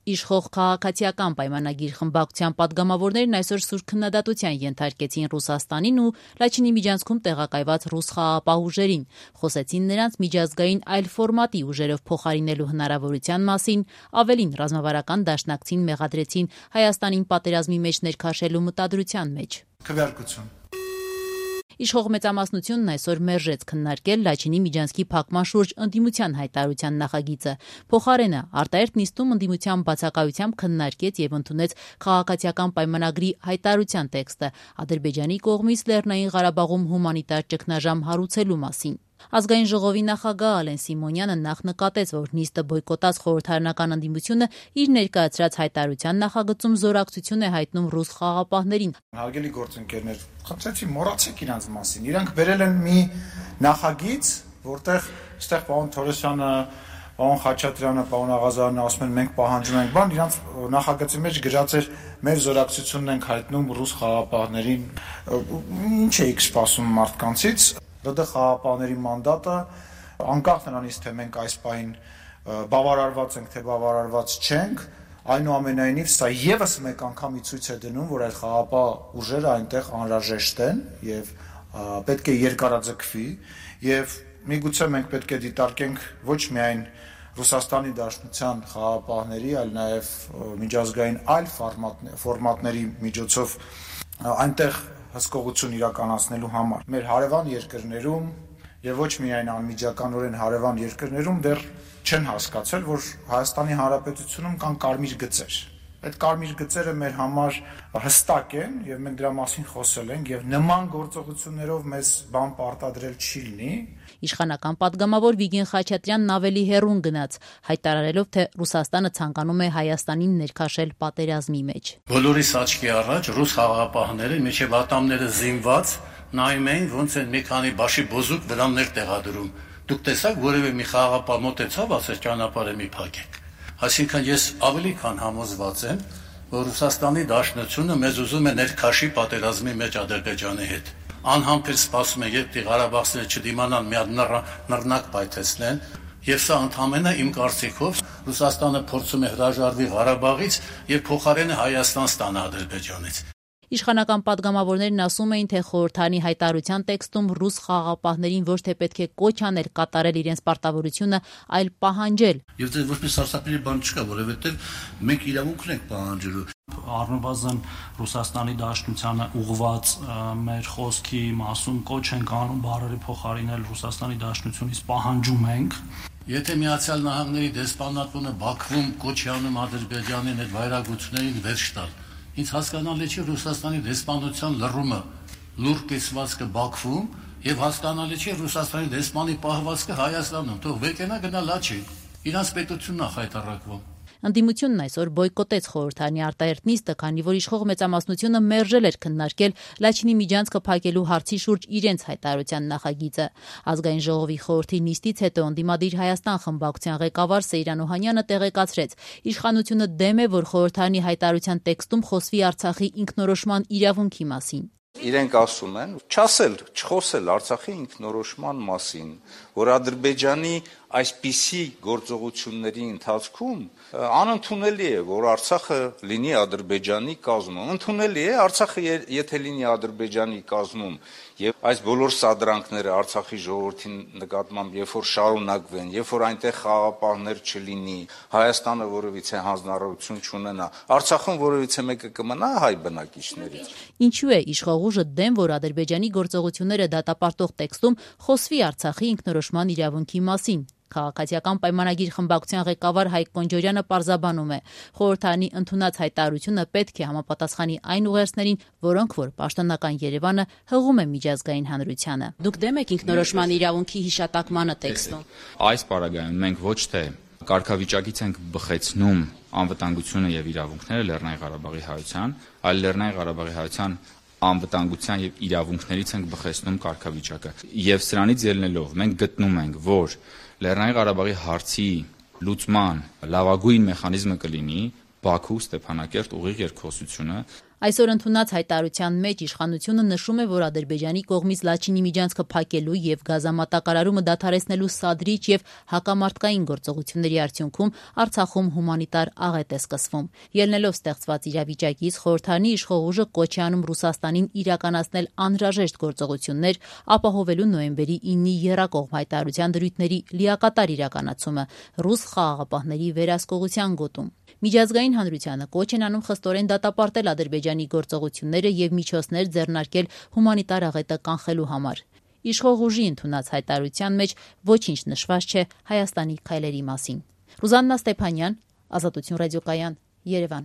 Իշխող քաղաքացիական պայմանագիր խմբակցության պատգամավորներն այսօր սուր քննադատության ենթարկեցին Ռուսաստանին ու Լաչինի միջանցքում տեղակայված ռուս խաղաղապահ ուժերին, խոսեցին նրանց միջազգային այլ ֆորմատի ուժերով փոխարինելու հնարավորության մասին, ավելին ռազմավարական դաշնակցին մեղադրեցին Հայաստանին պատերազմի մեջ ներքաշելու մտադրության մեջ։ Քվեարկություն։ Իշխող մեծամասնությունն այսօր մերժեց քննարկել Լաչինի միջանցքի փակման շուրջ ընդդիմության հայտարարության նախագիծը։ Փոխարենը արտահերթ նիստում ընդդիմության բացակայությամբ քննարկեց եւ ընդունեց քաղաքացիական պայմանագրի հայտարարության տեքստը Ադրբեջանի կողմից Լեռնային Ղարաբաղում հումանիտար ճգնաժամ հարուցելու մասին։ Ազգային ժողովի նախագահ Ալեն Սիմոնյանը նախ նկատեց, որ նիստը բոյկոտած խորհրդարանական ընդդիմությունը իր ներկայացրած հայտարարության նախագծում զորակցություն է հայտնում ռուս խաղաղապահներին։ Հարգելի գործընկերներ, խնդրեցի մոռացեք իրանց մասին։ Իրանք վերել են մի նախագիծ, որտեղ այստեղ պարոն Թորոսյանը, պարոն Խաչատրյանը, պարոն Աղազարյանը ասում են մենք պահանջում ենք բան, իրանց նախագծի մեջ գրած էր մեր զորակցությունն ենք հայտնում ռուս խաղաղապահներին։ Ինչ էիք սպասում մարդկանցից։ ԼԴ խաղաղապահների մանդատը անկախ նրանից թե մենք այս պահին բավարարված ենք թե բավարարված չենք, այնուամենայնիվ սա եւս մեկ անգամի ցույց է դնում, որ այդ խաղաղապահ ուժերը այնտեղ անհրաժեշտ են եւ պետք է երկարաձգվի եւ միգուցե մենք պետք է դիտարկենք ոչ միայն Ռուսաստանի Դաշնության խաղաղապահների, այլ նաեւ միջազգային այլ ֆորմատների միջոցով այնտեղ հսկողություն իրականացնելու համար։ Մեր հարևան երկրներում եւ ոչ միայն անմիջականորեն հարևան երկրներում դեռ չեն հասկացել, որ Հայաստանի Հանրապետությունում կան կարմիր գծեր։ Այդ կարմիր գծերը մեր համար հստակ են եւ մենք դրա մասին խոսել ենք եւ նման գործողություններով մեզ բան պարտադրել չի լինի։ Իշխանական պատգամավոր Վիգեն Խաչատրյանն ավելի հեռուն գնաց, հայտարարելով, թե Ռուսաստանը ցանկանում է Հայաստանին ներքաշել պատերազմի մեջ։ Բոլորիս աչքի առաջ ռուս խաղաղապահները միջև ատամները զինված նայում էին, ոնց են մի քանի բաշի բոզուկ վրաններ տեղադրում։ Դուք տեսաք, որևէ մի խաղաղապահ մոտեցավ, ասեց ճանապարհը մի փակեք։ Այսինքն ես ավելի քան համոզված եմ, որ Ռուսաստանի Դաշնությունը մեզ ուզում է ներքաշի պատերազմի մեջ Ադրբեջանի հետ։ Անհամբեր սպասում է, երբ ղարաբաղցիները չդիմանան մի հատ նռնակ պայթեցնեն, եւ սա ընդհանրապես իմ կարծիքով Ռուսաստանը փորձում է հրաժարվի Ղարաբաղից եւ փոխարենը Հայաստան ստանա Ադրբեջանից։ Իշխանական պատգամավորներն ասում էին, թե խորհրդարանի հայտարարության տեքստում ռուս խաղաղապահներին ոչ թե պետք է կոչ անել կատարել իրենց պարտավորությունը, այլ պահանջել։ Եվ դե ոչ մի սարսափելի բան չկա, որովհետեւ մենք իրավունք ունենք պահանջելու։ Առնվազն Ռուսաստանի Դաշնությանը ուղղված մեր խոսքի մասում կոչ ենք անում բառերի փոխարինել Ռուսաստանի Դաշնությունից պահանջում ենք։ Եթե Միացյալ Նահանգների դեսպանատունը Բաքվում կոչ է անում Ադրբեջանին այդ վայրագություններին վերջ տալ, ինձ հասկանալի չէ Ռուսաստանի դեսպանության լռումը լուր կիսվածքը Բաքվում եւ հասկանալի չէ Ռուսաստանի դեսպանի պահվածքը Հայաստանում, թող վեկենա գնա Լաչին, իրանց պետությունն է խայտառակվում։ Ընդդիմությունն այսօր բոյկոտեց խորհրդարանի արտահերթ նիստը, քանի որ իշխող մեծամասնությունը մերժել էր քննարկել Լաչինի միջանցքը փակելու հարցի շուրջ իրենց հայտարարության նախագիծը։ Ազգային ժողովի խորհրդի նիստից հետո ընդդիմադիր Հայաստան խմբակցության ղեկավար Սեյրան Օհանյանը տեղեկացրեց, իշխանությունը դեմ է, որ խորհրդարանի հայտարարության տեքստում խոսվի Արցախի ինքնորոշման իրավունքի մասին։ Իրենք ասում են չխոսել Արցախի ինքնորոշման մասին, որ Ադրբեջանի այսպիսի գործողությունների ընթացքում անընդունելի է, որ Արցախը լինի Ադրբեջանի կազմում։ Ընդունելի է Արցախը եթե լինի Ադրբեջանի կազմում եւ այս բոլոր սադրանքները Արցախի ժողովրդի նկատմամբ երբ որ շարունակվեն, երբ որ այնտեղ խաղաղապահներ չլինի, Հայաստանը որևիցե հանձնարարություն չունենա, Արցախում որևիցե մեկը կմնա հայ բնակիչներից։ Ինչու է իշխող ուժը դեմ, որ Ադրբեջանի գործողությունները դատապարտող տեքստում խոսվի Արցախի ինքնորոշման իրավունքի մասին։ Քաղաքացիական պայմանագիր խմբակցության ղեկավար Հայկ Կոնջորյանը պարզաբանում է, խորհրդարանի ընդունած հայտարարությունը պետք է համապատասխանի այն ուղերձներին, որոնք որ պաշտոնական Երևանը հղում է միջազգային հանրությանը։ Դուք դեմ եք ինքնորոշման իրավունքի հիշատակմանը տեքստում։ Այս պարագայում մենք ոչ թե կարգավիճակից ենք բխեցնում անվտանգությունը եւ իրավունքները Լեռնային Ղարաբաղի հայության, այլ Լեռնային Ղարաբաղի հայության անվտանգության եւ իրավունքներից ենք բխեցնում կարգավիճակը։ Եվ սրանից ելնելով մենք գտնում ենք, որ Լեռնային Ղարաբաղի հարցի լուծման լավագույն մեխանիզմը կլինի Բաքու Ստեփանակերտ ուղիղ երկխոսությունը։ Այսօր ընդունած հայտարարության մեջ իշխանությունը նշում է, որ Ադրբեջանի կողմից Լաչինի միջանցքը փակելու եւ գազամատակարարումը դադարեցնելու սադրիչ եւ հակամարտկային գործողությունների արդյունքում Արցախում հումանիտար աղետ է սկսվում։ Ելնելով ստեղծված իրավիճակից խորհրդարանի իշխող ուժը կոչ է անում Ռուսաստանին իրականացնել անհրաժեշտ գործողություններ, ապահովելու նոյեմբերի 9-ի եռակողմ հայտարարության դրույթների լիակատար իրականացումը ռուս խաղաղապահների վերահսկողության գոտում։ Միջազգային հանրությանը կոչ են անում խստորեն դատապարտել Ադրբեջանի գործողությունները եւ միջոցներ ձեռնարկել հումանիտար աղետը կանխելու համար։ Իշխող ուժի ընդունած հայտարարության մեջ ոչինչ նշված չէ Հայաստանի քայլերի մասին։ Ռուզաննա Ստեփանյան, Ազատություն ռադիոկայան, Երևան։